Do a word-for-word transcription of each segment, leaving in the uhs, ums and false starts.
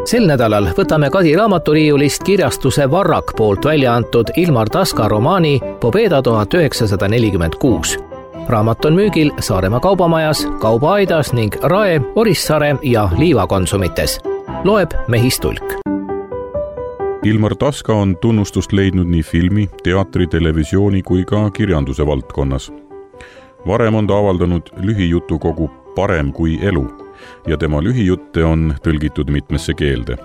Sel nädalal võtame Kadi raamaturiiulist kirjastuse Varrak poolt välja antud Ilmar Taska romaani Pobeda tuhat üheksasada nelikümmend kuus. Raamat on müügil Saaremaa kaubamajas, Kaubaaidas ning Rae, Orissaare ja Liiva konsumites. Loeb Mehis Tulk. Ilmar Taska on tunnustust leidnud nii filmi, teatri, televisiooni kui ka kirjanduse valdkonnas. Varem on ta avaldanud lühijutukogu Parem kui elu ja tema lühijutte on tõlgitud mitmesse keelde.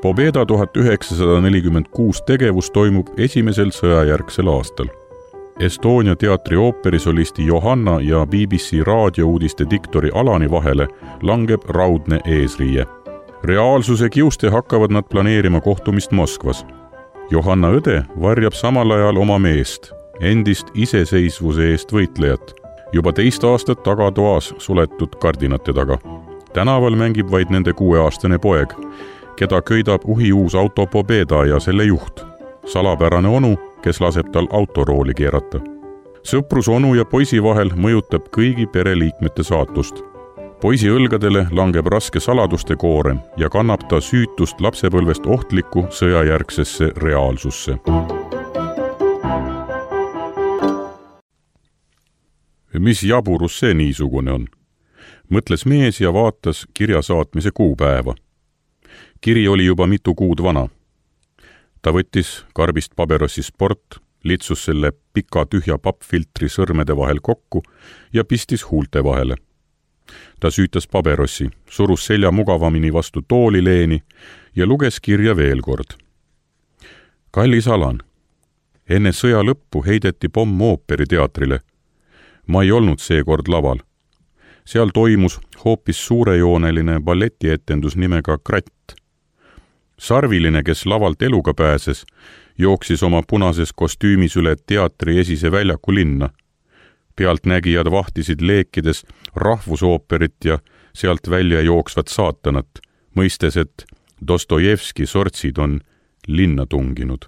Pobeda tuhat üheksasada nelikümmend kuus tegevus toimub esimesel sõjajärgsel aastal. Estonia teatri ooperisolisti Johanna ja B B C raadiouudiste diktori Alani vahele langeb raudne eesriie. Reaalsuse kiuste hakkavad nad planeerima kohtumist Moskvas. Johanna õde varjab samal ajal oma meest, endist iseseisvuse eest võitlejat, juba teist aastat tagatoas suletud kardinate taga. Tänaval mängib vaid nende kuueaastane poeg, keda köidab uhiuus auto Pobeda ja selle juht, salapärane onu, kes laseb tal autorooli keerata. Sõprus onu ja poisi vahel mõjutab kõigi pereliikmete saatust. Poisi õlgadele langeb raske saladuste koorem ja kannab ta süütust lapsepõlvest ohtlikku sõjajärgsesse reaalsusse. Mis jaburus see niisugune on? Mõtles mees ja vaatas kirja saatmise kuupäeva. Kiri oli juba mitu kuud vana. Ta võttis karbist paberossi Sport, litsus selle pika tühja pappfiltri sõrmede vahel kokku ja pistis huulte vahele. Ta süütas paberossi, surus selja mugavamini vastu toolileeni ja luges kirja veel kord. Kallis Alan, enne sõja lõppu heideti pomm ooperiteatrile. Ma ei olnud seekord laval. Seal toimus hoopis suurejooneline balletietendus nimega Kratt. Sarviline, kes lavalt eluga pääses, jooksis oma punases kostüümis üle teatri esise väljaku linna. Pealtnägijad vahtisid leekides rahvusooperit ja sealt välja jooksvat saatanat, mõistes, et Dostojevski sortsid on linna tunginud.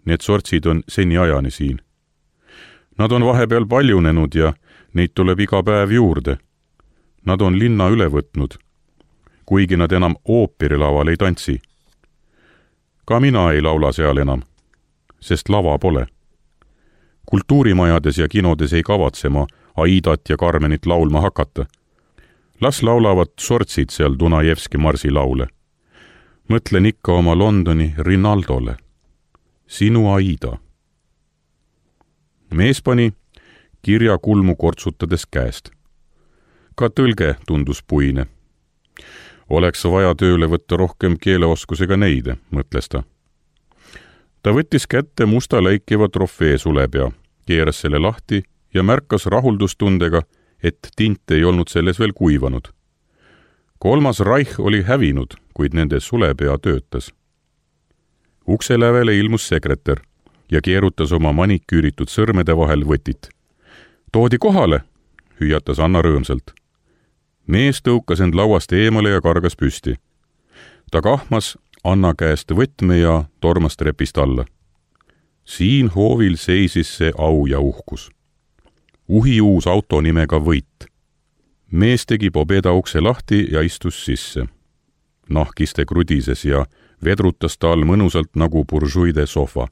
Need sortsid on seni ajani siin. Nad on vahepeal paljunenud ja neid tuleb iga päev juurde. Nad on linna üle võtnud, kuigi nad enam ooperilaval ei tantsi. Ka mina ei laula seal enam, sest lava pole. Kultuurimajades ja kinodes ei kavatsema Aidat ja Carmenit laulma hakata. Las laulavad sortsid seal Dunajevski marsi laule. Mõtlen ikka oma Londoni Rinaldole. Sinu Aida. Mees pani kirja kulmu kortsutades käest. Ka tõlge tundus puine. Oleks vaja tööle võtta rohkem keeleoskusega neide, mõtles ta. Ta võttis kätte musta läikiva trofee sulepea, keeras selle lahti ja märkas rahuldustundega, et tint ei olnud selles veel kuivanud. Kolmas Reich oli hävinud, kuid nende sulepea töötas. Ukse lävele ilmus sekretär ja keerutas oma maniküüritud sõrmede vahel võtit. Toodi kohale, hüüatas Anna rõõmsalt. Mees tõukas end lauast eemale ja kargas püsti. Ta kahmas Anna käest võtme ja tormas trepist alla. Siin hoovil seisis see au ja uhkus. Uhiuus auto nimega Võit. Mees tegi Pobeda ukse lahti ja istus sisse. Nahkiste krudises ja vedrutas ta all mõnusalt nagu buržuide sohva.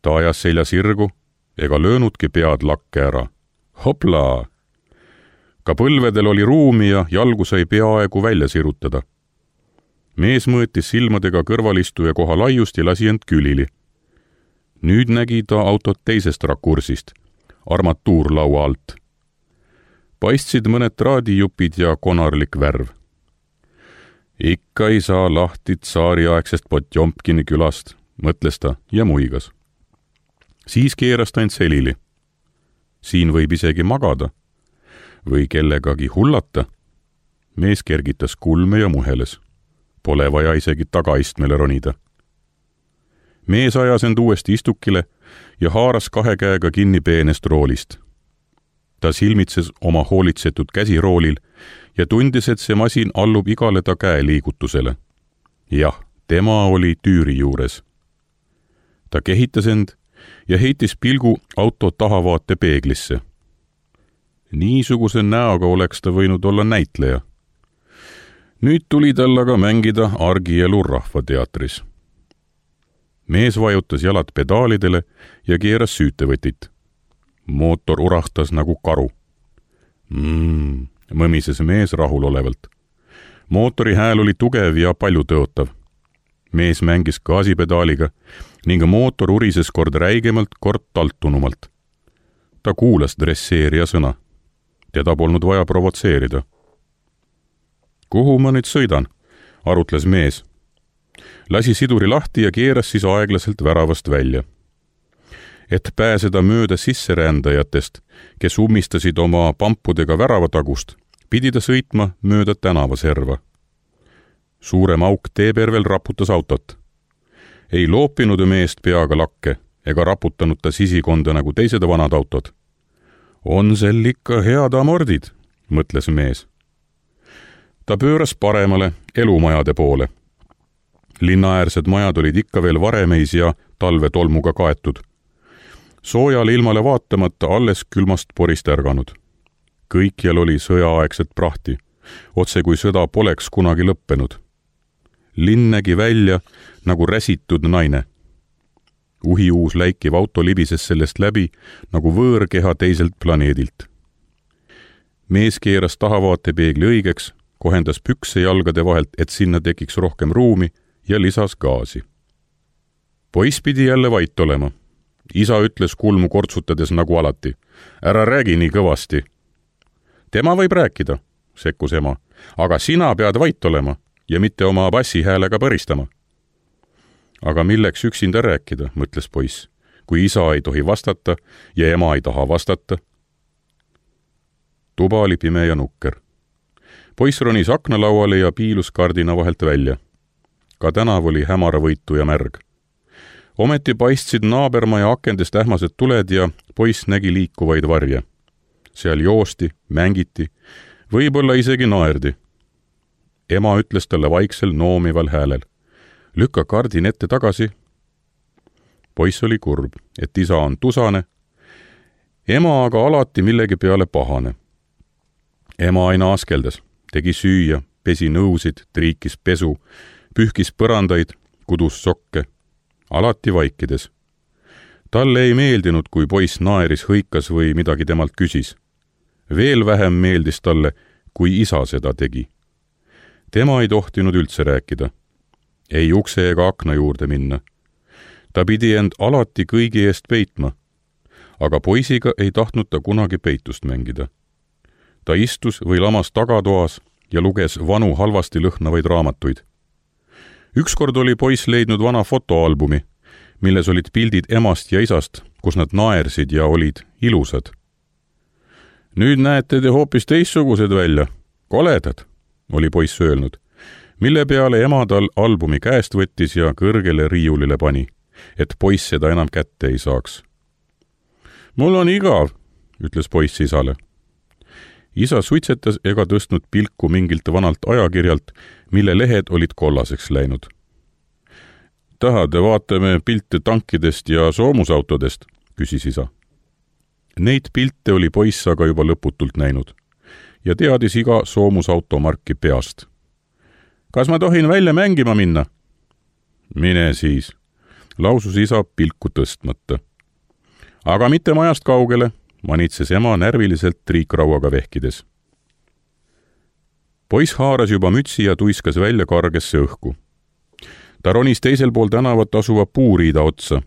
Ta ajas selja sirgu ega löönudki pead lakke ära. Hopla! Ka põlvedel oli ruumi ja jalgu sai peaaegu välja sirutada. Mees mõõtis silmadega kõrvalistuja koha laiust ja lasi end külili. Nüüd nägi ta autot teisest rakursist, armatuurlaua alt. Paistsid mõned traadijupid ja konarlik värv. Ikka ei saa lahti tsaariaegsest Potjomkini külast, mõtles ta ja muigas. Siis keeras ta end selili. Siin võib isegi magada või kellegagi hullata. Mees kergitas kulme ja muheles. Pole vaja isegi tagaistmele ronida. Mees ajas end uuesti istukile ja haaras kahe käega kinni peenest roolist. Ta silmitses oma hoolitsetud käsiroolil ja tundis, et see masin allub igale ta käe liigutusele. Jah, tema oli tüüri juures. Ta kehitas end ja heitis pilgu auto tahavaate peeglisse. Niisuguse näoga oleks ta võinud olla näitleja. nüüd tuli tal aga mängida argielu rahvateatris. Mees vajutas jalad pedaalidele ja keeras süütevõtit. Mootor urahtas nagu karu. Mm, mõmises mees rahulolevalt. Mootori hääl oli tugev ja palju tõotav. Mees mängis gaasipedaaliga ning mootor urises kord räigemalt, kord taltunumalt. Ta kuulas dresseerija sõna. Teda polnud vaja provotseerida. Kuhu ma nüüd sõidan? Arutles mees. Lasi siduri lahti ja keeras siis aeglaselt väravast välja. Et pääseda mööda sisserändajatest, kes ummistasid oma pampudega väravatagust, pidi ta sõitma mööda tänavaserva. Suurem auk teepervel raputas autot. Ei loopinud meest peaga lakke ega raputanud ta sisikonda nagu teised vanad autod. On sel ikka head amordid, mõtles mees. Ta pööras paremale elumajade poole. Linnaäärsed majad olid ikka veel varemeis ja talvetolmuga kaetud. Soojale ilmale vaatamata alles külmast porist ärganud. Kõikjal oli sõjaaegset prahti, otse kui sõda poleks kunagi lõppenud. Linn nägi välja nagu räsitud naine. Uhiuus läikiv auto libises sellest läbi nagu võõrkeha teiselt planeedilt. Mees keeras tahavaatepeegli õigeks, kohendas pükse jalgade vahelt, et sinna tekiks rohkem ruumi ja lisas gaasi. Poiss pidi jälle vait olema. Isa ütles kulmu kortsutades nagu alati. Ära räägi nii kõvasti. Tema võib rääkida, sekkus ema, aga sina pead vait olema ja mitte oma bassihäälega põristama. Aga milleks üksinda rääkida, mõtles poiss, kui isa ei tohi vastata ja ema ei taha vastata. Tuba oli pime ja nukker. Poiss ronis aknalauale ja piilus kardina vahelt välja. Ka tänav oli hämaravõitu ja märg. Ometi paistsid naabermaja akendest ähmased tuled ja poiss nägi liikuvaid varje. Seal joosti, mängiti, võib-olla isegi naerdi. Ema ütles talle vaiksel noomival häälel. Lükka kardin ette tagasi. Poiss oli kurb, et isa on tusane. Ema aga alati millegi peale pahane. Ema aina askeldas, tegi süüa, pesi nõusid, triikis pesu, pühkis põrandaid, kudus sokke. Alati vaikides. Talle ei meeldinud, kui poiss naeris, hõikas või midagi temalt küsis. Veel vähem meeldis talle, kui isa seda tegi. Tema ei tohtinud üldse rääkida. Ei ukse ega akna juurde minna. Ta pidi end alati kõigi eest peitma. Aga poisiga ei tahtnud ta kunagi peitust mängida. Ta istus või lamas tagatoas ja luges vanu halvasti lõhnavaid raamatuid. Ükskord oli poiss leidnud vana fotoalbumi, milles olid pildid emast ja isast, kus nad naersid ja olid ilusad. Nüüd näete te hoopis teissugused välja. Koledad, oli poiss öelnud, mille peale ema tal albumi käest võttis ja kõrgele riiulile pani, et poiss seda enam kätte ei saaks. Mul on igav, ütles poiss isale. Isa suitsetas ega tõstnud pilku mingilt vanalt ajakirjalt, mille lehed olid kollaseks läinud. Tahade vaatame pilte tankidest ja soomusautodest, küsis isa. Neid pilte oli poiss aga juba lõputult näinud ja teadis iga soomusautomarki peast. Kas ma tohin välja mängima minna? Mine siis, lausus isa pilku tõstmata. Aga mitte majast kaugele, manitses ema närviliselt triikrauaga vehkides. Poiss haaras juba mütsi ja tuiskas välja kargesse õhku. Ta ronis teisel pool tänavat asuva puuriida otsa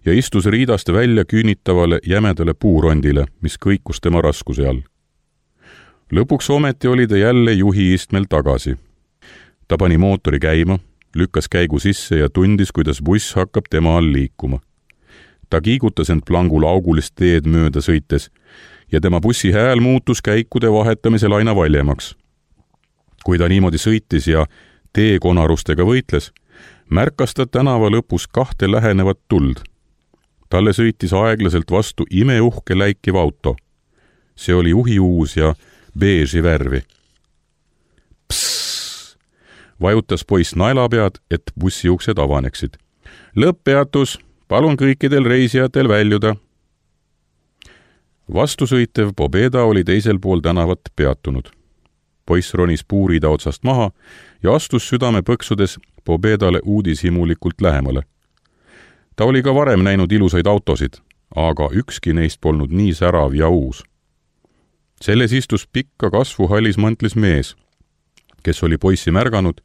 ja istus riidast välja küünitavale jämedale puurondile, mis kõikus tema raskuse all. Lõpuks ometi oli ta jälle juhi istmel tagasi. Ta pani mootori käima, lükkas käigu sisse ja tundis, kuidas buss hakkab tema all liikuma. Ta kiigutas end plangul augulist teed mööda sõites ja tema bussi hääl muutus käikude vahetamisel aina valjemaks. Kui ta niimoodi sõitis ja teekonarustega võitles, märkas ta tänava lõpus kahte lähenevat tuld. Talle sõitis aeglaselt vastu imeuhke läikiv auto. See oli uhiuus ja beeži värvi. Psss! Vajutas poiss naelapead, et bussiuksed avaneksid. Lõpppeatus! Palun kõikidel reisijatel väljuda. Vastusõitev Pobeda oli teisel pool tänavat peatunud. Poiss ronis puurida otsast maha ja astus südame põksudes Pobedale uudishimulikult lähemale. Ta oli ka varem näinud ilusaid autosid, aga ükski neist polnud nii särav ja uus. Selles istus pikka kasvuhallis mantlis mees, kes oli poissi märganud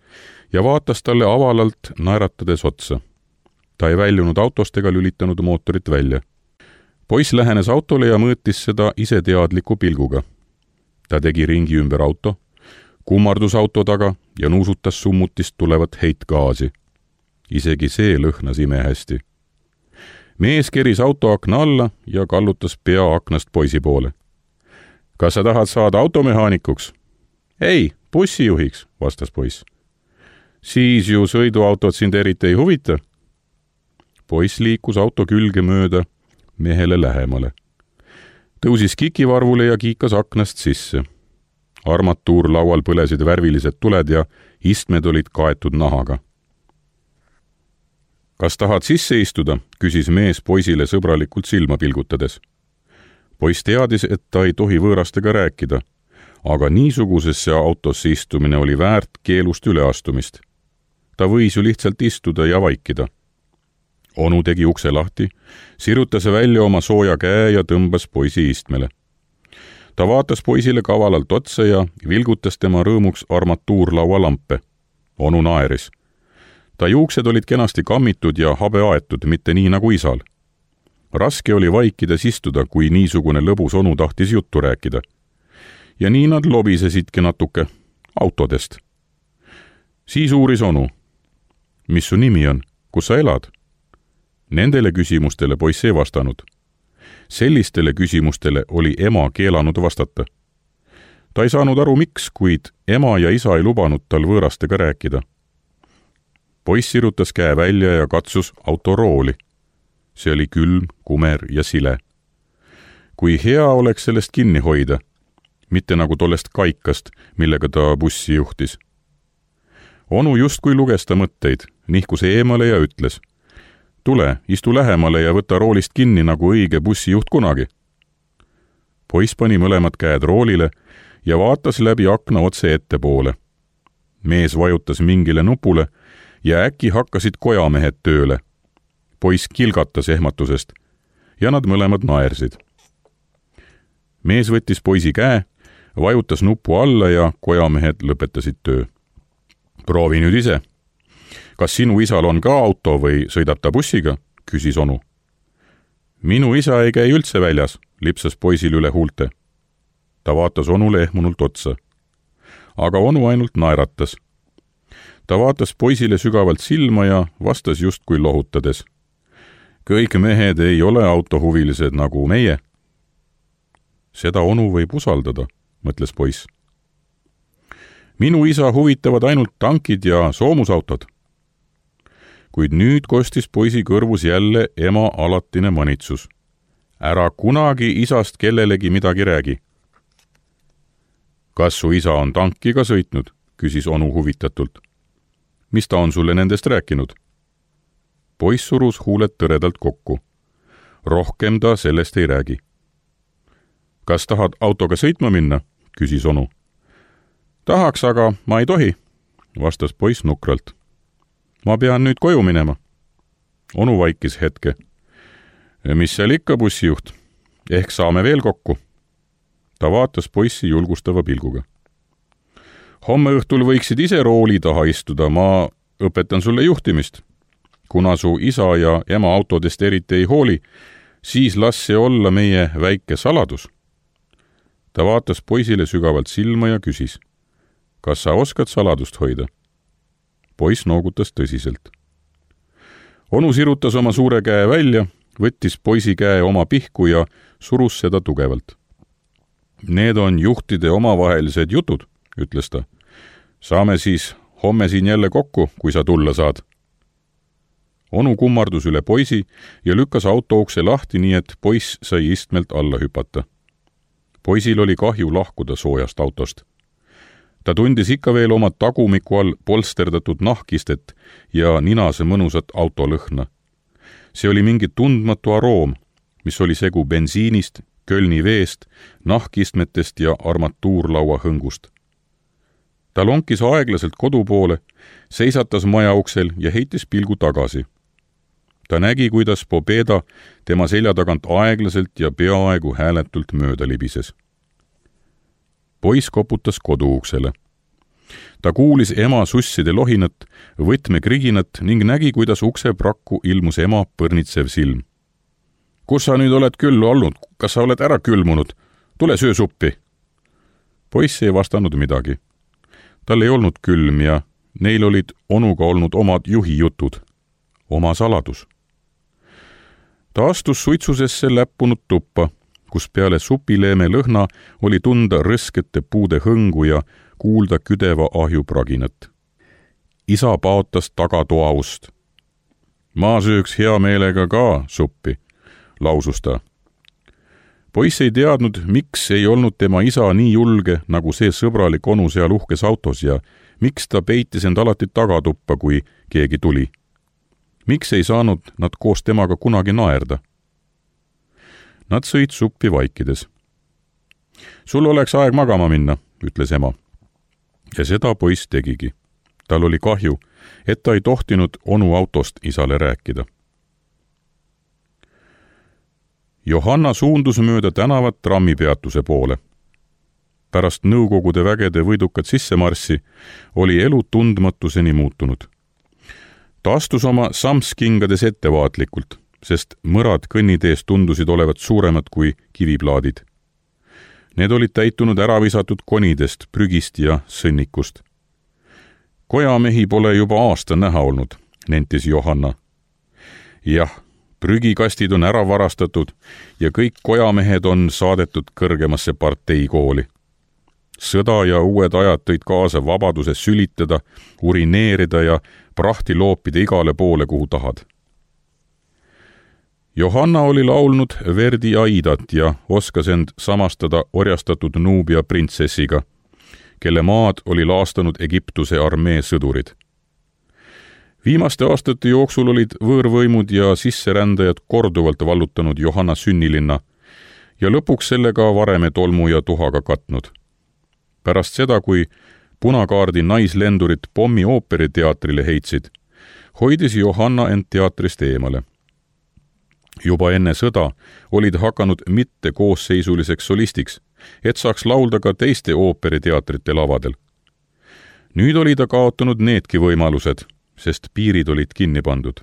ja vaatas talle avalalt naeratades otsa. Ta ei väljunud autost ega lülitanud mootorit välja. Poiss lähenes autole ja mõõtis seda iseteadliku pilguga. Ta tegi ringi ümber auto, kummardus auto taga ja nuusutas summutist tulevat heitgaasi. Isegi see lõhnas imehästi. Mees keris auto akna alla ja kallutas pea aknast poisi poole. Kas sa tahad saada automehaanikuks? Ei, bussijuhiks, vastas poiss. Siis ju sõiduautod sind eriti ei huvita. Poiss liikus auto külge mööda mehele lähemale. Tõusis kikivarvule ja kiikas aknast sisse. Armatuurlaual põlesid värvilised tuled ja istmed olid kaetud nahaga. Kas tahad sisse istuda, küsis mees poisile sõbralikult silma pilgutades. Poiss teadis, et ta ei tohi võõrastega rääkida, aga niisugusesse autosse istumine oli väärt keelust üleastumist. Ta võis ju lihtsalt istuda ja vaikida. Onu tegi ukse lahti, sirutas välja oma sooja käe ja tõmbas poisi istmele. Ta vaatas poisile kavalalt otsa ja vilgutas tema rõõmuks armatuurlaua lampe. Onu naeris. Ta juuksed olid kenasti kammitud ja habe aetud, mitte nii nagu isal. Raske oli vaikides istuda, kui niisugune lõbus onu tahtis juttu rääkida. Ja nii nad lobisesidki natuke autodest. Siis uuris onu. Mis su nimi on? Kus sa elad? Nendele küsimustele poiss ei vastanud. Sellistele küsimustele oli ema keelanud vastata. Ta ei saanud aru miks, kuid ema ja isa ei lubanud tal võõrastega rääkida. Poiss sirutas käe välja ja katsus autorooli. See oli külm, kumer ja sile. Kui hea oleks sellest kinni hoida, mitte nagu tollest kaikast, millega ta bussi juhtis. Onu justkui luges ta mõtteid, nihkus eemale ja ütles. Tule, istu lähemale ja võta roolist kinni nagu õige bussijuht kunagi. Poiss pani mõlemad käed roolile ja vaatas läbi akna otse ettepoole. Mees vajutas mingile nupule ja äkki hakkasid kojamehed tööle. Poiss kilgatas ehmatusest ja nad mõlemad naersid. Mees võttis poisi käe, vajutas nupu alla ja kojamehed lõpetasid töö. Proovi nüüd ise. Kas sinu isal on ka auto või sõidab ta bussiga? Küsis onu. Minu isa ei käi üldse väljas, lipsas poisil üle huulte. Ta vaatas onule ehmunult otsa. Aga onu ainult naeratas. Ta vaatas poisile sügavalt silma ja vastas justkui lohutades. Kõik mehed ei ole autohuvilised nagu meie. Seda onu võib usaldada, mõtles poiss. Minu isa huvitavad ainult tankid ja soomusautod. Kuid nüüd kostis poisi kõrvus jälle ema alatine manitsus. Ära kunagi isast kellelegi midagi räägi. Kas su isa on tankiga sõitnud? Küsis onu huvitatult. Mis ta on sulle nendest rääkinud? Poiss surus huuled tõredalt kokku. Rohkem ta sellest ei räägi. Kas tahad autoga sõitma minna? Küsis onu. Tahaks, aga ma ei tohi, vastas poiss nukralt. Ma pean nüüd koju minema. Onu vaikis hetke. Mis seal ikka, bussijuht? Ehk saame veel kokku. Ta vaatas poissi julgustava pilguga. Homme õhtul võiksid ise rooli taha istuda, ma õpetan sulle juhtimist. Kuna su isa ja ema autodest eriti ei hooli, siis las see olla meie väike saladus. Ta vaatas poisile sügavalt silma ja küsis. Kas sa oskad saladust hoida? Poiss noogutas tõsiselt. Onu sirutas oma suure käe välja, võttis poisi käe oma pihku ja surus seda tugevalt. Need on juhtide omavahelised jutud, ütles ta. Saame siis homme siin jälle kokku, kui sa tulla saad. Onu kummardus üle poisi ja lükkas autoukse lahti, nii et poiss sai istmelt alla hüpata. Poisil oli kahju lahkuda soojast autost. Ta tundis ikka veel oma tagumiku all polsterdatud nahkistet ja ninase mõnusat autolõhna. See oli mingi tundmatu aroom, mis oli segu bensiinist, Kölni veest, nahkistmetest ja armatuurlaua hõngust. ta lonkis aeglaselt kodu poole, seisatas maja uksel ja heitis pilgu tagasi. Ta nägi, kuidas Pobeda tema selja tagant aeglaselt ja peaaegu hääletult mööda libises. Poiss koputas koduuksele. Ta kuulis ema susside lohinat, võtme kriginat ning nägi, kuidas ukse prakku ilmus ema põrnitsev silm. Kus sa nüüd oled küll olnud? Kas sa oled ära külmunud? Tule söö suppi! Poiss ei vastanud midagi. Tal ei olnud külm ja neil olid onuga olnud omad juhijutud. Oma saladus. Ta astus suitsusesse läppunud tuppa, kus peale supileeme lõhna oli tunda rõskete puude hõngu ja kuulda küdeva ahju praginat. Isa paotas tagatoa ust. Ma sööks hea meelega ka suppi, lausus ta. Poiss ei teadnud, miks ei olnud tema isa nii julge, nagu see sõbralik onu seal uhkes autos ja miks ta peitis end alati tagatuppa, kui keegi tuli. Miks ei saanud nad koos temaga kunagi naerda? Nad sõid suppi vaikides. Sul oleks aeg magama minna, ütles ema. Ja seda poiss tegigi. Tal oli kahju, et ta ei tohtinud onu autost isale rääkida. Johanna suundus mööda tänavat trammipeatuse poole. Pärast nõukogude vägede võidukat sissemarssi oli elu tundmatuseni muutunud. Ta astus oma samskingades ettevaatlikult, sest mõrad kõnnitees tundusid olevat suuremad kui kiviplaadid. Need olid täitunud ära visatud konidest, prügist ja sõnnikust. Kojamehi pole juba aasta näha olnud, nentis Johanna. Jah, prügikastid on ära varastatud ja kõik kojamehed on saadetud kõrgemasse parteikooli. Sõda ja uued ajad tõid kaasa vabaduse sülitada, urineerida ja prahti loopida igale poole, kuhu tahad. Johanna oli laulnud Verdi Aidat ja oskas end samastada orjastatud Nubia printsessiga, kelle maad oli laastanud Egiptuse armee sõdurid. Viimaste aastate jooksul olid võõrvõimud ja sisserändajad korduvalt vallutanud Johanna sünnilinna ja lõpuks sellega vareme tolmu ja tuhaga katnud. Pärast seda, kui punakaardi naislendurid pommi ooperiteatrile heitsid, hoidis Johanna end teatrist eemale. Juba enne sõda olid hakanud mitte koosseisuliseks solistiks, et saaks laulda ka teiste ooperiteatrite lavadel. Nüüd oli ta kaotanud needki võimalused, sest piirid olid kinni pandud.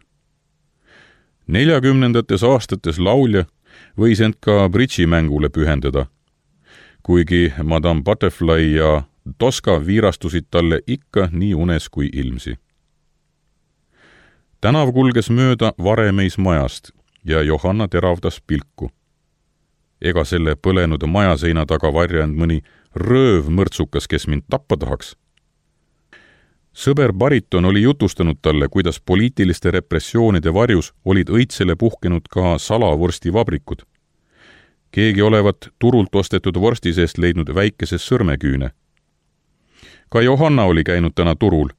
Neljakümnendates aastates laulja võis end ka bridžimängule pühendada, kuigi Madame Butterfly ja Tosca viirastusid talle ikka nii unes kui ilmsi. Tänav kulges mööda Varemeis majast ja Johanna teravdas pilku. Ega selle põlenud majaseina taga varjanud mõni rööv mõrtsukas, kes mind tappa tahaks. Sõber Bariton oli jutustanud talle, kuidas poliitiliste repressioonide varjus olid õitsele puhkenud ka salavorstivabrikud. Keegi olevat turult ostetud vorsti seest leidnud väikese sõrmeküüne. Ka Johanna oli käinud täna turul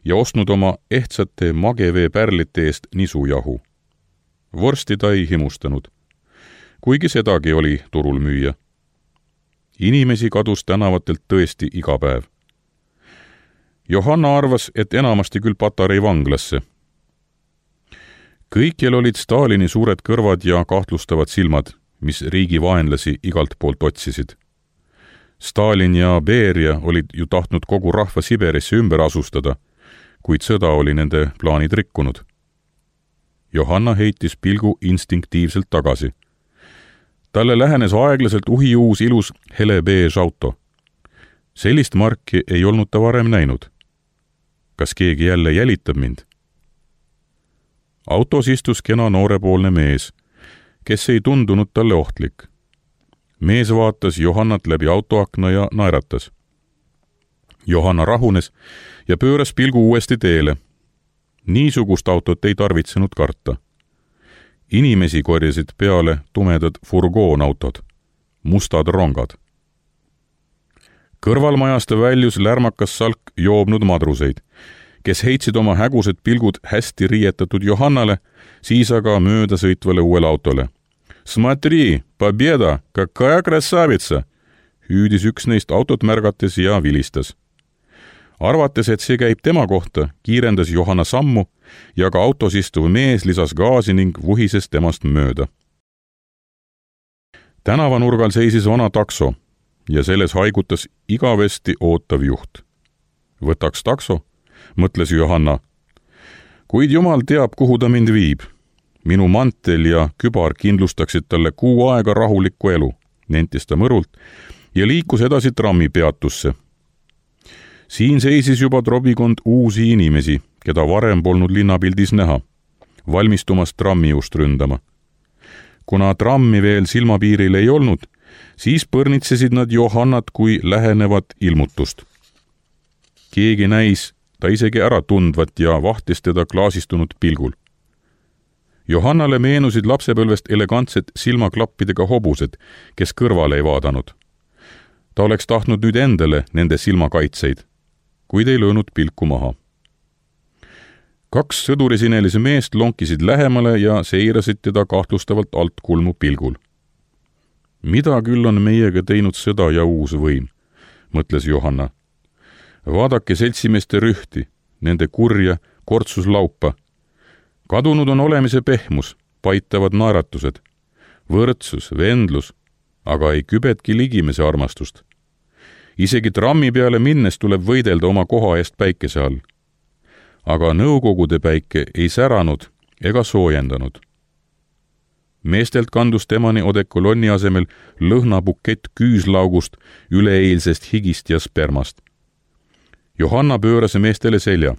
ja ostnud oma ehtsate magevee pärlite eest nisujahu. Vorsti ta ei himustanud, kuigi sedagi oli turul müüa. Inimesi kadus tänavatelt tõesti iga päev. Johanna arvas, et enamasti küll Patarei vanglasse. Kõikjal olid Stalini suured kõrvad ja kahtlustavad silmad, mis riigi vaenlasi igalt poolt otsisid. Stalin ja Beria olid ju tahtnud kogu rahva Siberisse ümber asustada, kuid sõda oli nende plaanid rikkunud. Johanna heitis pilgu instinktiivselt tagasi. Talle lähenes aeglaselt uhiuus ilus hele beež auto. Sellist marki ei olnud ta varem näinud. Kas keegi jälle jälitab mind? Autos istus kena noorepoolne mees, kes ei tundunud talle ohtlik. Mees vaatas Johannat läbi autoakna ja naeratas. Johanna rahunes ja pööras pilgu uuesti teele. Niisugust autot ei tarvitsenud karta. Inimesi korjasid peale tumedad furgoonautod, mustad rongad. Kõrvalmajast väljus lärmakas salk joobnud madruseid, kes heitsid oma hägused pilgud hästi riietatud Johannale, siis aga mööda sõitvale uuele autole. Smatri, Pobeda, kakая krasavitsa, hüüdis üks neist autot märgates ja vilistas. arvates, et see käib tema kohta, kiirendas Johanna sammu ja ka autos istuv mees lisas gaasi ning vuhises temast mööda. Tänavanurgal seisis vana takso ja selles haigutas igavesti ootav juht. Võtaks takso, mõtles Johanna. Kuid jumal teab, kuhu ta mind viib. Minu mantel ja kübar kindlustaksid talle kuu aega rahulikku elu, nentis ta mõrult ja liikus edasi trammi peatusse. Siin seisis juba trobikond uusi inimesi, keda varem polnud linnapildis näha, valmistumas trammi just ründama. Kuna trammi veel silmapiiril ei olnud, siis põrnitsesid nad Johannat kui lähenevat ilmutust. Keegi näis ta isegi ära tundvat ja vahtis teda klaasistunud pilgul. Johannale meenusid lapsepõlvest elegantsed silmaklappidega hobused, kes kõrvale ei vaadanud. Ta oleks tahtnud nüüd endale nende silmakaitseid, kuid ei löönud pilku maha. Kaks sõdurisinelise meest lonkisid lähemale ja seirasid teda kahtlustavalt alt kulmu pilgul. Mida küll on meiega teinud sõda ja uus võim, mõtles Johanna. Vaadake seltsimeeste rühti, nende kurja, kortsuslaupa. Kadunud on olemise pehmus, paitavad naeratused, võrdsus, vendlus, aga ei kübetki ligimese armastust. Isegi trammi peale minnes tuleb võidelda oma koha eest päikese all. Aga nõukogude päike ei säranud ega soojendanud. Meestelt kandus temani odekolonni asemel lõhnabukett küüslaugust, üleeilsest higist ja spermast. Johanna pööras meestele selja,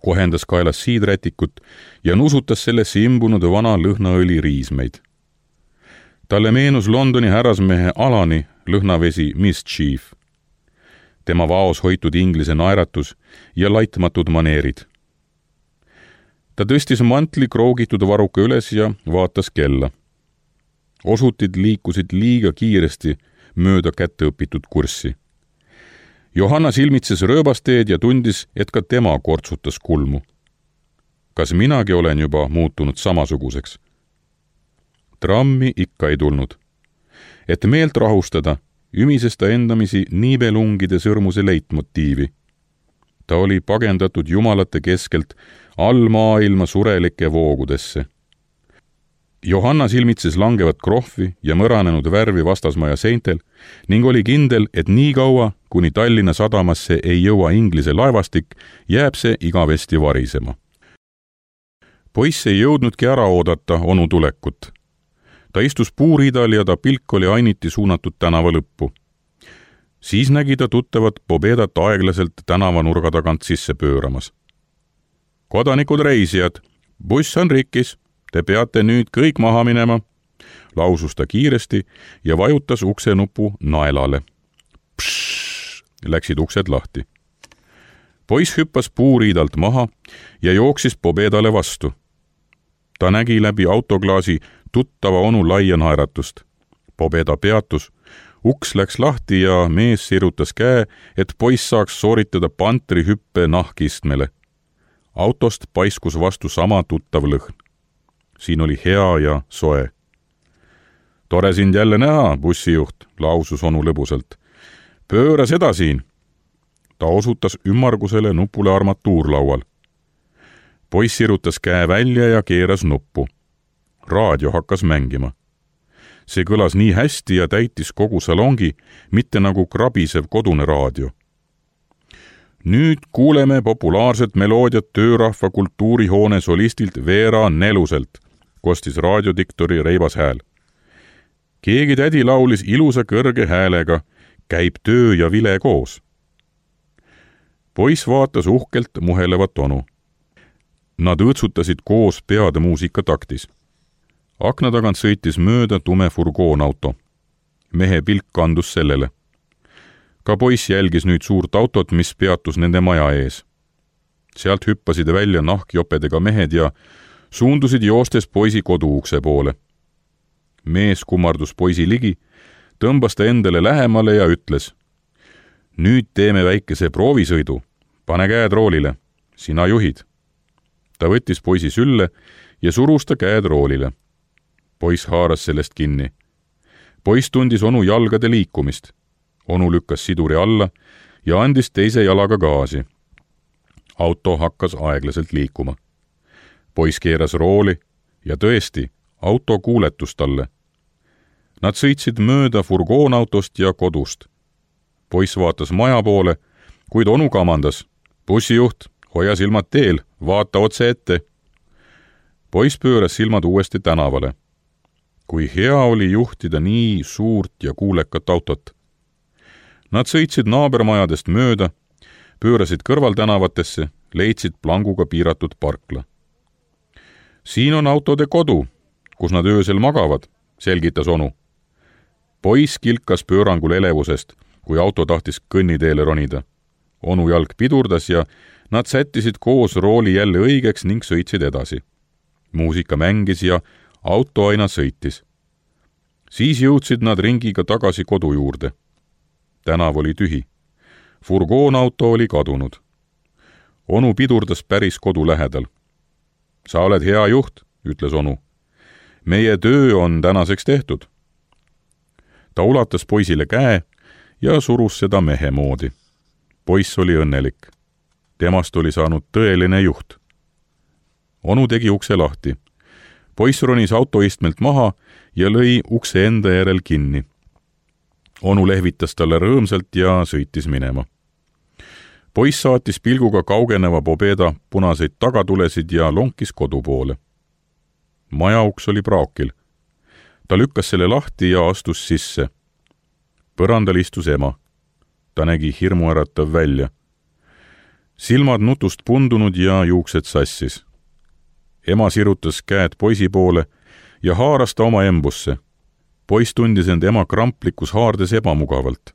kohendas kaelas siidrätikut ja nusutas sellesse imbunud vana lõhnaõli riismeid. Talle meenus Londoni härrasmehe Alani lõhnavesi Mischief. Tema vaos hoitud inglise naeratus ja laitmatud maneerid. Ta tõstis mantli kroogitud varuka üles ja vaatas kella. Osutid liikusid liiga kiiresti mööda kätte õpitud kurssi. Johanna silmitses rööbasteed ja tundis, et ka tema kortsutas kulmu. Kas minagi olen juba muutunud samasuguseks? Trammi ikka ei tulnud. Et meelt rahustada, ümises ta endamisi niibelungide sõrmuse leitmotiivi. Ta oli pagendatud jumalate keskelt all maailma surelike voogudesse. Johanna silmitses langevat krohvi ja mõranenud värvi vastasmaja seintel ning oli kindel, et nii kaua, kuni Tallinna sadamasse ei jõua Inglise laevastik, jääb see igavesti varisema. Poiss ei jõudnudki ära oodata onu tulekut. Ta istus puuriidal ja ta pilk oli ainiti suunatud tänava lõppu. Siis nägi ta tuttavat Pobedat aeglaselt tänavanurga tagant sisse pööramas. Kodanikud reisijad, buss on rikkis, te peate nüüd kõik maha minema, lausus ta kiiresti ja vajutas uksenupu naelale. Pšš, läksid uksed lahti. Poiss hüppas puuriidalt maha ja jooksis Pobedale vastu. Ta nägi läbi autoklaasi tuttava onu laia naeratust. Pobeda peatus, uks läks lahti ja mees sirutas käe, et poiss saaks sooritada pantri hüppe nahkistmele. Autost paiskus vastu sama tuttav lõhn. Siin oli hea ja soe. Tore sind jälle näha, bussijuht, lausus onu lõbusalt. Pööra seda siin. Ta osutas ümmargusele nupule armatuurlaual. Poiss sirutas käe välja ja keeras nuppu. Raadio hakkas mängima. See kõlas nii hästi ja täitis kogu salongi, mitte nagu krabisev kodune raadio. Nüüd kuuleme populaarset meloodiat töörahva kultuurihoone solistilt Veera Neluselt, kostis raadiodiktori reibas hääl. Keegi tädi laulis ilusa kõrge häälega, käib töö ja vile koos. Poiss vaatas uhkelt muhelevat onu. Nad õõtsutasid koos peade muusika taktis. Akna tagant sõitis mööda tume furgoonauto. Mehe pilk kandus sellele. Ka poiss jälgis nüüd suurt autot, mis peatus nende maja ees. Sealt hüppasid välja nahkjopedega mehed ja suundusid joostes poisi koduukse poole. Mees kummardus poisi ligi, tõmbas ta endale lähemale ja ütles: Nüüd teeme väikese proovisõidu. Pane käed roolile. Sina juhid. Ta võttis poisi sülle ja surus ta käed roolile. Poiss haaras sellest kinni. Poiss tundis onu jalgade liikumist. Onu lükkas siduri alla ja andis teise jalaga gaasi. Auto hakkas aeglaselt liikuma. Poiss keeras rooli ja tõesti, auto kuuletus talle. Nad sõitsid mööda furgoonautost ja kodust. Poiss vaatas maja poole, kuid onu kamandas. Bussijuht, hoia silmad teel, vaata otse ette. Poiss pööras silmad uuesti tänavale. Kui hea oli juhtida nii suurt ja kuulekat autot. Nad sõitsid naabermajadest mööda, pöörasid kõrvaltänavatesse, leidsid planguga piiratud parkla. Siin on autode kodu, kus nad öösel magavad, selgitas onu. Poiss kilkas pöörangul elevusest, kui auto tahtis kõnniteele ronida. Onu jalg pidurdas ja nad sättisid koos rooli jälle õigeks ning sõitsid edasi. Muusika mängis ja auto aina sõitis. Siis jõudsid nad ringiga tagasi kodu juurde. Tänav oli tühi. Furgoonauto oli kadunud. Onu pidurdas päris kodu lähedal. Sa oled hea juht, ütles onu. Meie töö on tänaseks tehtud. Ta ulatas poisile käe ja surus seda mehe moodi. Poiss oli õnnelik. Temast oli saanud tõeline juht. Onu tegi ukse lahti. Poiss ronis autoistmelt maha ja lõi ukse enda järel kinni. Onu lehvitas talle rõõmsalt ja sõitis minema. Poiss saatis pilguga kaugeneva Pobeda punaseid tagatulesid ja lonkis kodu poole. Maja uks oli praokil. Ta lükkas selle lahti ja astus sisse. Põrandal istus ema. Ta nägi hirmuäratav välja. Silmad nutust pundunud ja juuksed sassis. Ema sirutas käed poisi poole ja haaras ta oma embusse. Poiss tundis end ema kramplikus haardes ebamugavalt.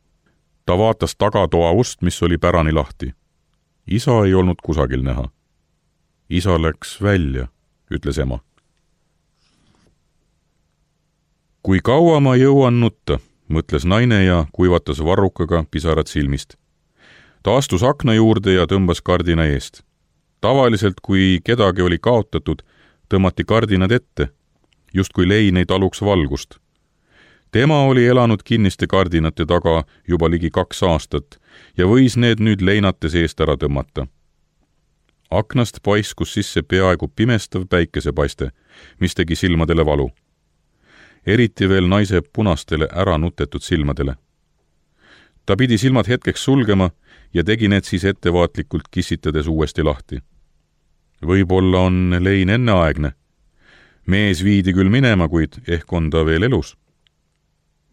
Ta vaatas tagatoa ust, mis oli pärani lahti. Isa ei olnud kusagil näha. Isa läks välja, ütles ema. Kui kaua ma jõuan nutta, mõtles naine ja kuivatas varrukaga pisarad silmist. Ta astus akna juurde ja tõmbas kardina eest. Tavaliselt, kui kedagi oli kaotatud, tõmmati kardinad ette, just kui lein ei taluks valgust. Tema oli elanud kinniste kardinate taga juba ligi kaks aastat ja võis need nüüd leinates eest ära tõmmata. Aknast paiskus sisse peaaegu pimestav päikesepaiste, mis tegi silmadele valu. Eriti veel naise punastele ära nutetud silmadele. Ta pidi silmad hetkeks sulgema ja tegi need siis ettevaatlikult kissitades uuesti lahti. Võib-olla on lein enneaegne. Mees viidi küll minema, kuid ehk on ta veel elus.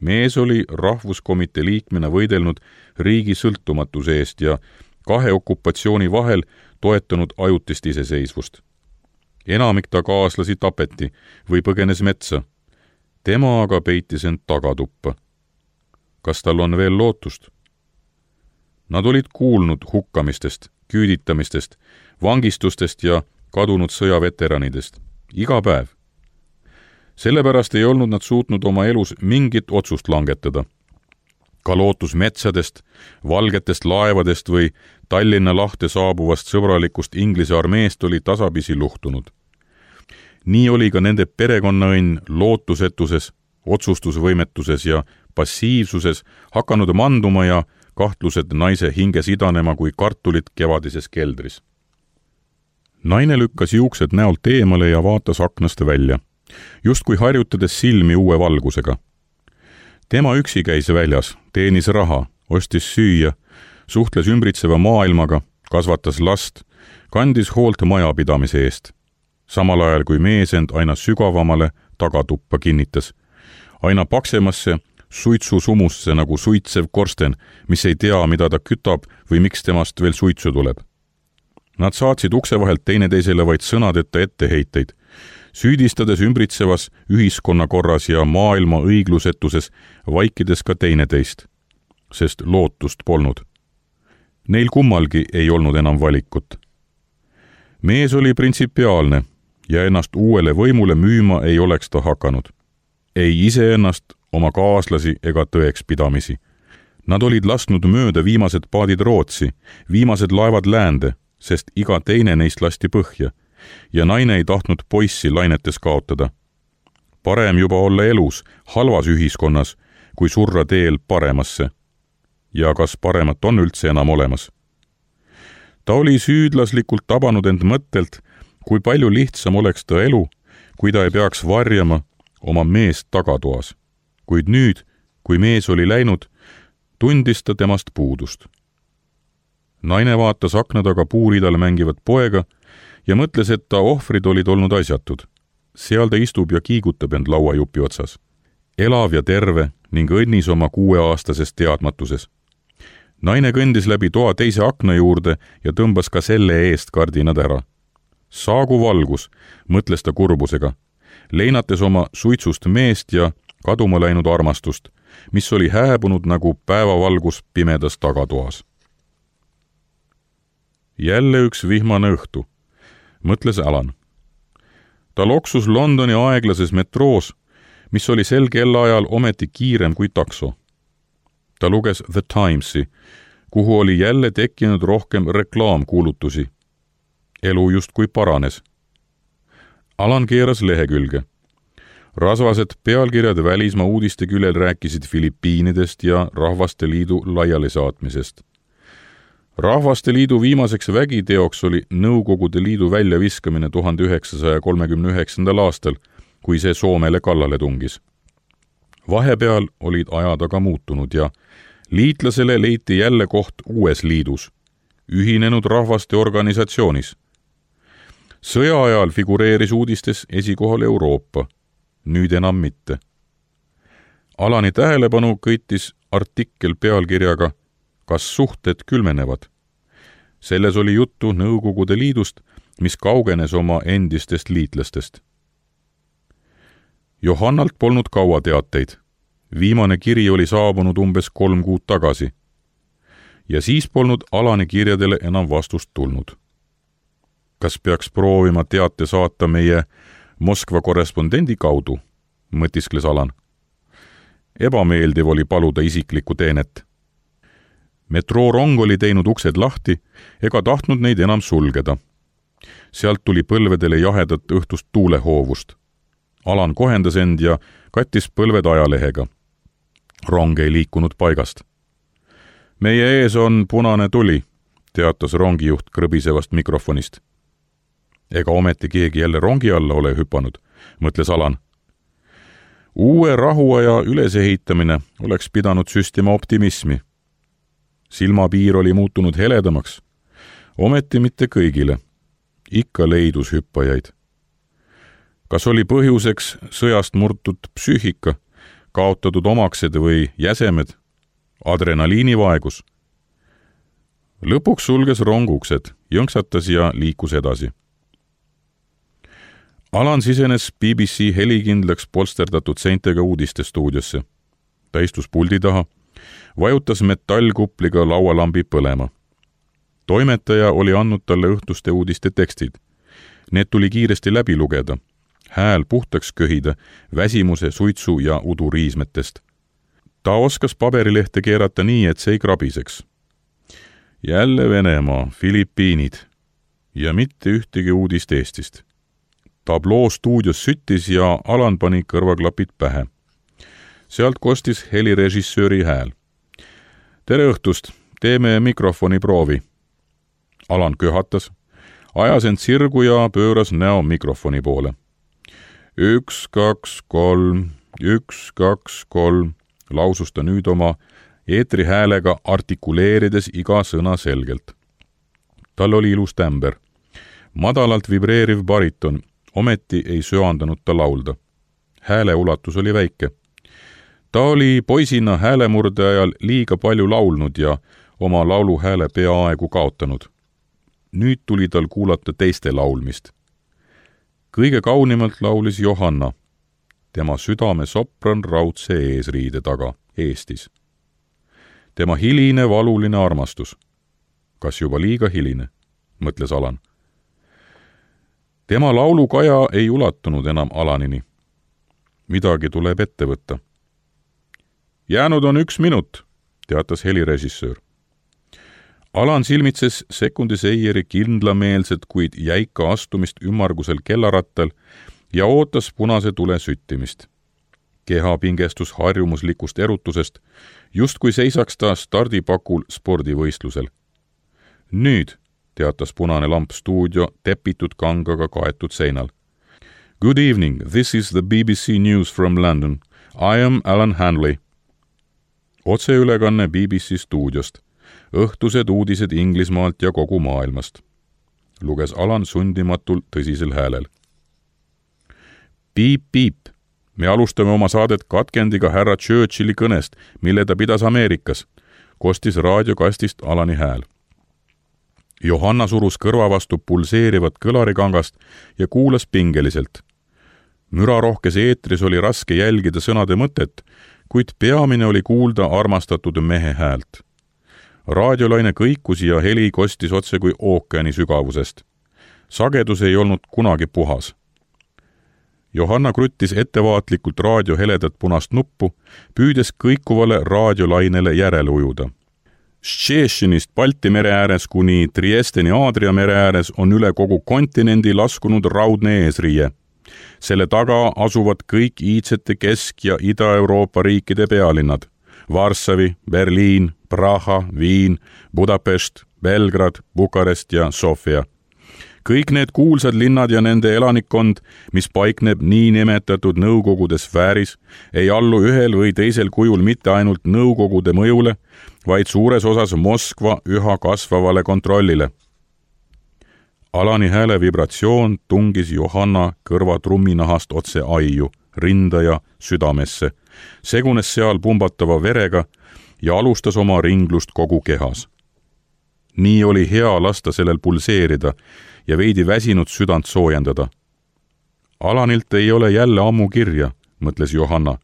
Mees oli rahvuskomitee liikmena võidelnud riigi sõltumatuse eest ja kahe okupatsiooni vahel toetanud ajutist iseseisvust. Enamik ta kaaslasi tapeti või põgenes metsa. Tema aga peitis end tagatuppa. Kas tal on veel lootust? Nad olid kuulnud hukkamistest, küüditamistest, vangistustest ja kadunud sõjaveteranidest. Iga päev. Sellepärast ei olnud nad suutnud oma elus mingit otsust langetada. Ka lootus metsadest, valgetest laevadest või Tallinna lahte saabuvast sõbralikust Inglise armeest oli tasapisi luhtunud. Nii oli ka nende perekonnaõnn lootusetuses, otsustusvõimetuses ja passiivsuses hakanud manduma ja kahtlused naise hinges idanema kui kartulid kevadises keldris. Naine lükkas juuksed näolt eemale ja vaatas aknast välja, justkui harjutades silmi uue valgusega. Tema üksi käis väljas, teenis raha, ostis süüa, suhtles ümbritseva maailmaga, kasvatas last, kandis hoolt majapidamise eest. Samal ajal kui mees end aina sügavamale tagatuppa kinnitas, aina paksemasse suitsusumusse nagu suitsev korsten, mis ei tea, mida ta kütab või miks temast veel suitsu tuleb. Nad saatsid ukse vahelt teineteisele vaid sõnadeta etteheiteid, süüdistades ümbritsevas ühiskonnakorras ja maailma õiglusetuses, vaikides ka teineteist, sest lootust polnud. Neil kummalgi ei olnud enam valikut. Mees oli printsipiaalne ja ennast uuele võimule müüma ei oleks ta hakanud. Ei iseennast, oma kaaslasi ega tõekspidamisi. Nad olid lasknud mööda viimased paadid Rootsi, viimased laevad läände, sest iga teine neist lasti põhja ja naine ei tahtnud poissi lainetes kaotada. Parem juba olla elus, halvas ühiskonnas, kui surra teel paremasse. ja kas paremat on üldse enam olemas. Ta oli süüdlaslikult tabanud end mõttelt, kui palju lihtsam oleks ta elu, kui ta ei peaks varjama oma meest tagatoas. Kuid nüüd, kui mees oli läinud, tundis ta temast puudust. Naine vaatas akna taga puuridal mängivat poega ja mõtles, et ta ohvrid olid olnud asjatud. Seal ta istub ja kiigutab end lauajupi otsas. Elav ja terve ning õnnis oma kuueaastases teadmatuses. Naine kõndis läbi toa teise akna juurde ja tõmbas ka selle eest kardinad ära. Saagu valgus, mõtles ta kurbusega, leinates oma suitsust meest ja kaduma läinud armastust, mis oli hääbunud nagu päevavalgus pimedas tagatoas. Jälle üks vihmane õhtu, mõtles Alan. Ta loksus Londoni aeglases metroos, mis oli sel kellaajal ometi kiirem kui takso. Ta luges The Timesi, kuhu oli jälle tekkinud rohkem reklaamkuulutusi. Elu justkui paranes. Alan keeras lehekülge. Rasvased pealkirjad välismaa uudiste küljel rääkisid Filipiinidest ja Rahvaste Liidu laialisaatmisest. Rahvaste Liidu viimaseks vägiteoks oli Nõukogude Liidu väljaviskamine tuhande üheksasaja kolmekümne üheksandal aastal, kui see Soomele kallale tungis. Vahepeal olid ajad aga muutunud ja liitlasele leiti jälle koht uues liidus, Ühinenud Rahvaste Organisatsioonis. Sõja ajal figureeris uudistes esikohal Euroopa, nüüd enam mitte. Alani tähelepanu kõitis artikkel pealkirjaga Kas suhted külmenevad? Selles oli juttu Nõukogude Liidust, mis kaugenes oma endistest liitlastest. Johannalt polnud kaua teateid. Viimane kiri oli saabunud umbes kolm kuud tagasi. Ja siis polnud Alani kirjadele enam vastust tulnud. Kas peaks proovima teate saata meie Moskva korrespondendi kaudu, mõtiskles Alan. Ebameeldiv oli paluda isiklikku teenet. Metroorong oli teinud uksed lahti ega tahtnud neid enam sulgeda. Sealt tuli põlvedele jahedat õhtust tuulehoovust. Alan kohendas end ja kattis põlved ajalehega. Rong ei liikunud paigast. Meie ees on punane tuli, teatas rongijuht krõbisevast mikrofonist. Ega ometi keegi jälle rongi alla ole hüpanud, mõtles Alan. Uue rahuaja ülesehitamine oleks pidanud süstima optimismi. Silmapiir oli muutunud heledamaks, ometi mitte kõigile. Ikka leidus hüppajaid. Kas oli põhjuseks sõjast murtud psüühika, kaotatud omaksed või jäsemed, adrenaliinivaegus? Lõpuks sulges rong uksed, jõnksatas ja liikus edasi. Alan sisenes B B C helikindlaks polsterdatud seintega uudistestuudiosse. Ta istus puldi taha, vajutas metallkupliga laualambi põlema. Toimetaja oli andnud talle õhtuste uudiste tekstid. Need tuli kiiresti läbi lugeda. Hääl puhtaks köhida, väsimuse, suitsu ja uduriismetest. Ta oskas paberilehte keerata nii, et see ei krabiseks. Jälle Venemaa, Filipiinid ja mitte ühtegi uudist Eestist. Tabloo stuudios süttis ja Alan pani kõrvaklapid pähe. Sealt kostis helirežissööri hääl. Tere õhtust, teeme mikrofoni proovi. Alan köhatas, ajas end sirgu ja pööras näo mikrofoni poole. Üks, kaks, kolm, üks, kaks, kolm, lausus ta nüüd oma eetri häälega artikuleerides iga sõna selgelt. Tal oli ilus tämber. Madalalt vibreeriv bariton, ometi ei söandanud ta laulda. Hääle ulatus oli väike. Ta oli poisina häälemurde ajal liiga palju laulnud ja oma laulu hääle peaaegu kaotanud. Nüüd tuli tal kuulata teiste laulmist. Kõige kaunimalt laulis Johanna, tema südame sopran raudse eesriide taga, Eestis. Tema hiline valuline armastus. Kas juba liiga hiline, mõtles Alan. Tema laulukaja ei ulatunud enam Alanini. Midagi tuleb ette võtta. Jäänud on üks minut, teatas helirežissöör. Alan silmitses sekundi seijeri kindlameelset, kuid jäika astumist ümmargusel kellarattal ja ootas punase tule süttimist. keha pingestus harjumuslikust erutusest, justkui seisaks ta stardipakul spordivõistlusel. Nüüd, teatas punane lamp stuudio tepitud kangaga kaetud seinal. Good evening, this is the B B C News from London. I am Alan Hanley. Otseülekanne B B C stuudiost. Õhtused uudised Inglismaalt ja kogu maailmast. Luges Alan sundimatul tõsisel häälel. Piip, piip. Me alustame oma saadet katkendiga härra Churchilli kõnest, mille ta pidas Ameerikas, kostis raadiokastist Alani hääl. Johanna surus kõrva vastu pulseerivat kõlarikangast ja kuulas pingeliselt. Mürarohkes eetris oli raske jälgida sõnade mõtet, kuid peamine oli kuulda armastatud mehe häält. Raadiolaine kõikus ja heli kostis otse kui ookeani sügavusest. Sagedus ei olnud kunagi puhas. Johanna kruttis ettevaatlikult raadio heledat punast nuppu, püüdes kõikuvale raadiolainele järele ujuda. Ščešinist Balti mere ääres kuni Triesteni Aadria mere ääres on üle kogu kontinendi laskunud raudne eesriie. Selle taga asuvad kõik iidsete Kesk- ja Ida-Euroopa riikide pealinnad. Varssavi, Berliin, Praha, Viin, Budapest, Belgrad, Bukarest ja Sofia. Kõik need kuulsad linnad ja nende elanikkond, mis paikneb nii nimetatud nõukogude sfääris, ei allu ühel või teisel kujul mitte ainult nõukogude mõjule, vaid suures osas Moskva üha kasvavale kontrollile. Alani hääle vibratsioon tungis Johanna kõrva trumminahast otse aiu, rinda ja südamesse, segunes seal pumbatava verega ja alustas oma ringlust kogu kehas. Nii oli hea lasta sellel pulseerida ja veidi väsinud südant soojendada. Alanilt ei ole jälle ammu kirja, mõtles Johanna.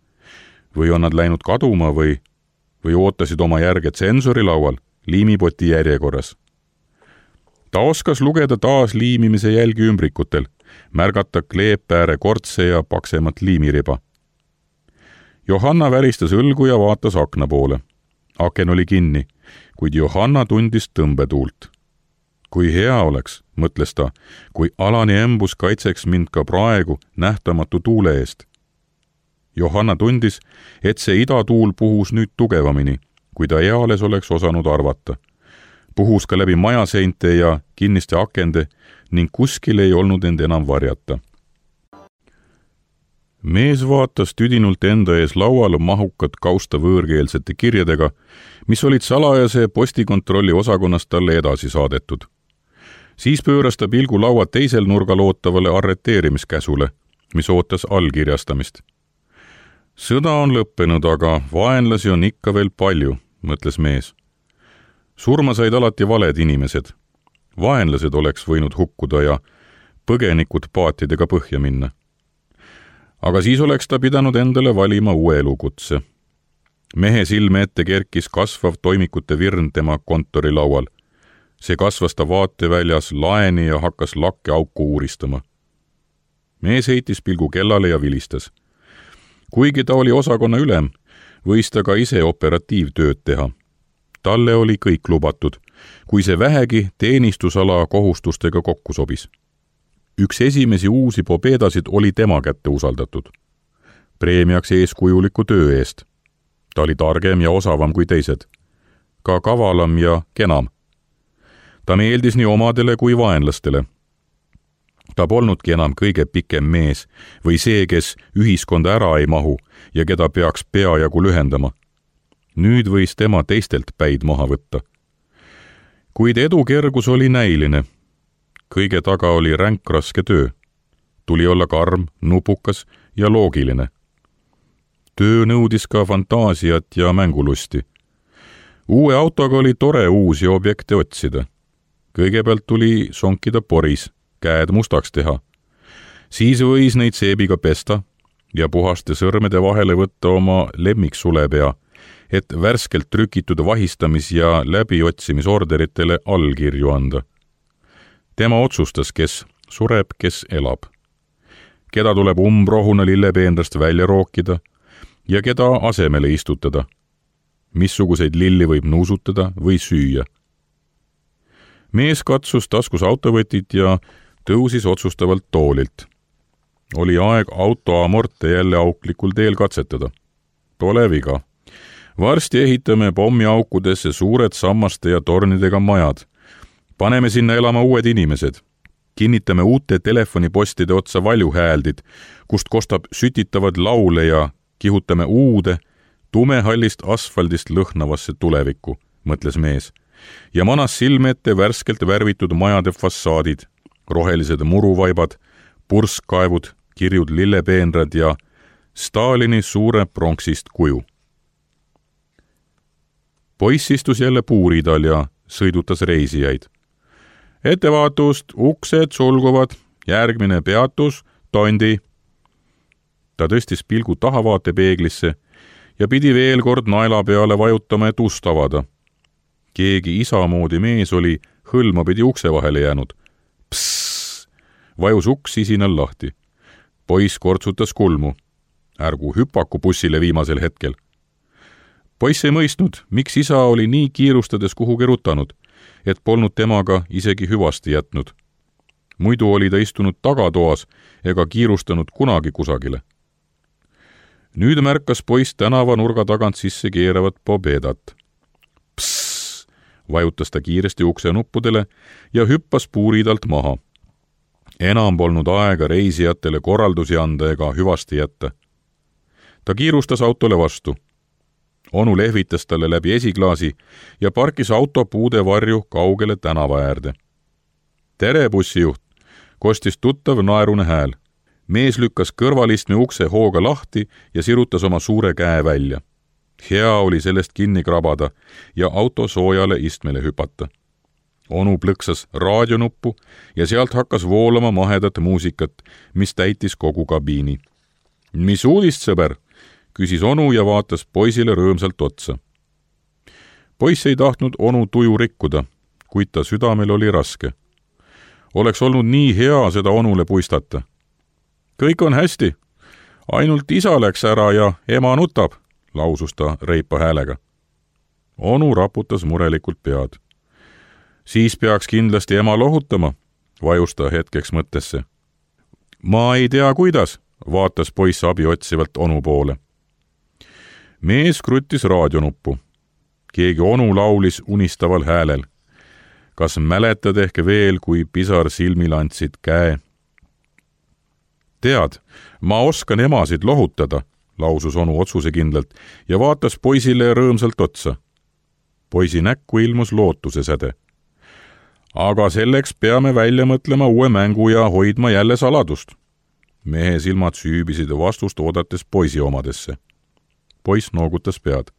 Või on nad läinud kaduma või, või ootasid oma järge tsensori laual, liimipoti järjekorras. Ta oskas lugeda taas liimimise jälgi ümbrikutel, märgata kleepääre kortse ja paksemat liimiriba. Johanna väristas õlgu ja vaatas akna poole. Aken oli kinni, kuid Johanna tundis tõmbetuult. Kui hea oleks, mõtles ta, kui Alani embus kaitseks mind ka praegu nähtamatu tuule eest. Johanna tundis, et see idatuul puhus nüüd tugevamini, kui ta eales oleks osanud arvata. Puhus ka läbi majaseinte ja kinniste akende ning kuskil ei olnud end enam varjata. Mees vaatas tüdinult enda ees laual mahukat kausta võõrkeelsete kirjadega, mis olid salajase postikontrolli osakonnast talle edasi saadetud. Siis pööras ta pilgu laua teisel nurgal ootavale arreteerimiskäsule, mis ootas allkirjastamist. Sõda on lõppenud, aga vaenlasi on ikka veel palju, mõtles mees. Surma said alati valed inimesed. Vaenlased oleks võinud hukkuda ja põgenikud paatidega põhja minna. Aga siis oleks ta pidanud endale valima uue elukutse. Mehe silme ette kerkis kasvav toimikute virn tema kontori laual. See kasvas ta vaateväljas laeni ja hakkas lakke auku uuristama. Mees heitis pilgu kellale ja vilistas. Kuigi ta oli osakonna ülem, võis ta ka ise operatiivtööd teha. Talle oli kõik lubatud, kui see vähegi teenistusala kohustustega kokku sobis. Üks esimesi uusi pobedasid oli tema kätte usaldatud. Preemiaks eeskujuliku töö eest. Ta oli targem ja osavam kui teised. Ka kavalam ja kenam. Ta meeldis nii omadele kui vaenlastele. Ta polnudki enam kõige pikem mees või see, kes ühiskonda ära ei mahu ja keda peaks peajagu lühendama. Nüüd võis tema teistelt päid maha võtta. Kuid edukergus oli näiline. Kõige taga oli ränk raske töö. Tuli olla karm, nupukas ja loogiline. Töö nõudis ka fantaasiat ja mängulusti. Uue autoga oli tore uusi objekte otsida. Kõigepealt tuli sonkida poris, käed mustaks teha. Siis võis neid seebiga pesta ja puhaste sõrmede vahele võtta oma lemmiksulepea, et värskelt trükitud vahistamis- ja läbiotsimisorderitele allkirju anda. Tema otsustas, kes sureb, kes elab. Keda tuleb umbrohuna lillepeendrast välja rookida ja keda asemele istutada. Missuguseid lilli võib nuusutada või süüa. Mees katsus taskus autovõtit ja tõusis otsustavalt toolilt. oli aeg auto amorte jälle auklikul teel katsetada. Pole viga. Varsti ehitame pommiaukudesse suured sammaste ja tornidega majad. Paneme sinna elama uued inimesed. Kinnitame uute telefonipostide otsa valjuhääldid, kust kostab sütitavad laule ja kihutame uude, tumehallist asfaldist lõhnavasse tulevikku, mõtles mees, ja manas silme ette värskelt värvitud majade fassaadid, rohelised muruvaibad, purskkaevud, kirjud lillepeenrad ja Stalini suure pronksist kuju. Poiss istus jälle puuridal ja sõidutas reisijaid. Ettevaatust, uksed sulguvad, järgmine peatus, Tondi. Ta tõstis pilgu tahavaatepeeglisse ja pidi veel kord naela peale vajutama, et ust avada. Keegi isamoodi mees oli hõlma pidi ukse vahele jäänud. Psss! Vajus uks sisinal lahti. Poiss kortsutas kulmu. Ärgu hüpaku bussile viimasel hetkel. Poiss ei mõistnud, miks isa oli nii kiirustades kuhugi rutanud, et polnud temaga isegi hüvasti jätnud. Muidu oli ta istunud tagatoas ega kiirustanud kunagi kusagile. Nüüd märkas poiss tänava nurga tagant sisse keeravat Pobedat. Psss! Vajutas ta kiiresti ukse nuppudele ja hüppas puuridalt maha. Enam polnud aega reisijatele korraldusi anda ega hüvasti jätta. Ta kiirustas autole vastu. Onu lehvitas talle läbi esiklaasi ja parkis auto puude varju kaugele tänava äärde. Tere, bussijuht, kostis tuttav naerune hääl. Mees lükkas kõrvalistme ukse hooga lahti ja sirutas oma suure käe välja. Hea oli sellest kinni krabada ja auto soojale istmele hüpata. Onu plõksas raadionuppu ja sealt hakkas voolama mahedat muusikat, mis täitis kogu kabiini. Mis uudist, sõber? Küsis onu ja vaatas poisile rõõmsalt otsa. Poiss ei tahtnud onu tuju rikkuda, kuid ta südamel oli raske. Oleks olnud nii hea seda onule puistata. Kõik on hästi. Ainult isa läks ära ja ema nutab, lausus ta reipa häälega. Onu raputas murelikult pead. Siis peaks kindlasti ema lohutama, vajus ta hetkeks mõttesse. Ma ei tea, kuidas, vaatas poiss abi otsivalt onu poole. Mees kruttis raadionuppu. Keegi onu laulis unistaval häälel. Kas mäletad ehk veel, kui pisar silmil andsid käe? Tead, ma oskan emasid lohutada, lausus onu otsusekindlalt ja vaatas poisile rõõmsalt otsa. Poisi näkku ilmus lootuse säde. Aga selleks peame välja mõtlema uue mängu ja hoidma jälle saladust. Mehe silmad süübisid vastust oodates poisi omadesse. Poiss noogutas pead.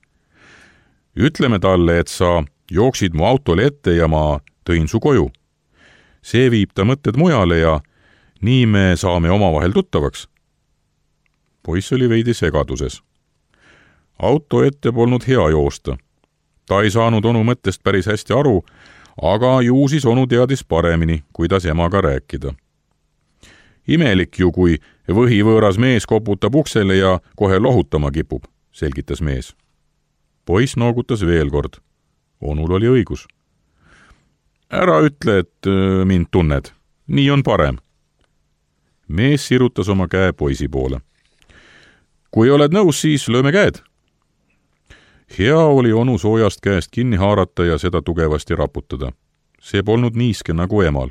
Ütleme talle, et sa jooksid mu autole ette ja ma tõin su koju. See viib ta mõtted mujale ja nii me saame omavahel tuttavaks. Poiss oli veidi segaduses. Auto ette polnud hea joosta. Ta ei saanud onu mõttest päris hästi aru, aga ju siis onu teadis paremini, kuidas emaga rääkida. Imelik ju, kui võhivõõras mees koputab uksele ja kohe lohutama kipub, selgitas mees. Poiss noogutas veel kord. Onul oli õigus. Ära ütle, et mind tunned. Nii on parem. Mees sirutas oma käe poisi poole. Kui oled nõus, siis lööme käed. Hea oli onu soojast käest kinni haarata ja seda tugevasti raputada. See polnud niiske nagu emal.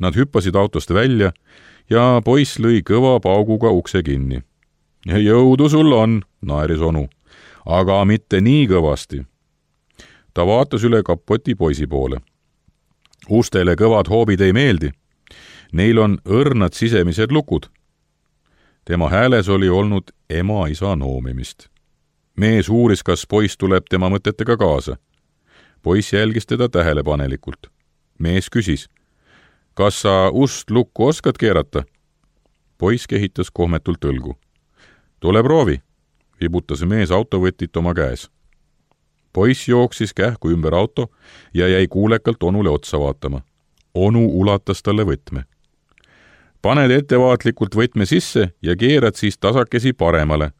Nad hüppasid autost välja ja poiss lõi kõva pauguga ukse kinni. Jõudu sul on, naeris onu, aga mitte nii kõvasti. Ta vaatas üle kapoti poisi poole. Ustele kõvad hoobid ei meeldi. Neil on õrnad sisemised lukud. Tema hääles oli olnud ema-isa noomimist. Mees uuris, kas poiss tuleb tema mõtetega kaasa. Poiss jälgis teda tähelepanelikult. Mees küsis, kas sa ust lukku oskad keerata? Poiss kehitas kohmetult õlgu. Tule proovi, vibutas mees autovõtit oma käes. Poiss jooksis kähku ümber auto ja jäi kuulekalt onule otsa vaatama. Onu ulatas talle võtme. Paned ettevaatlikult võtme sisse ja keerad siis tasakesi paremale.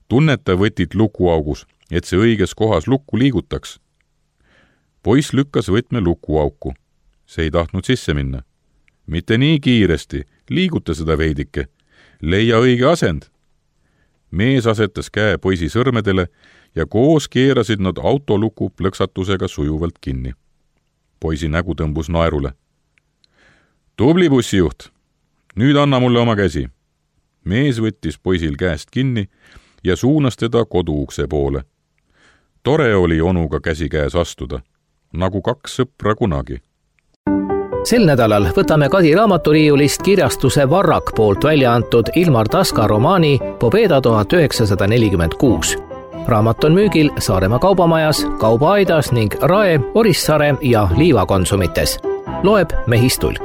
Tunneta võtit lukuaugus, et see õiges kohas lukku liigutaks. Poiss lükkas võtme lukuauku. See ei tahtnud sisse minna. Mitte nii kiiresti, liiguta seda veidike, leia õige asend. Mees asetas käe poisi sõrmedele ja koos keerasid nad autoluku plõksatusega sujuvalt kinni. Poisi nägu tõmbus naerule. Tubli bussijuht, nüüd anna mulle oma käsi. Mees võttis poisil käest kinni ja suunas teda koduukse poole. Tore oli onuga käsi käes astuda, nagu kaks sõpra kunagi. Sel nädalal võtame Kadi raamaturiiulist kirjastuse Varrak poolt välja antud Ilmar Taska romaani Pobeda tuhat üheksasada nelikümmend kuus. Raamat on müügil Saaremaa kaubamajas, Kaubaaidas ning Rae, Orissaare ja Liivakonsumites. Loeb Mehis Tulk.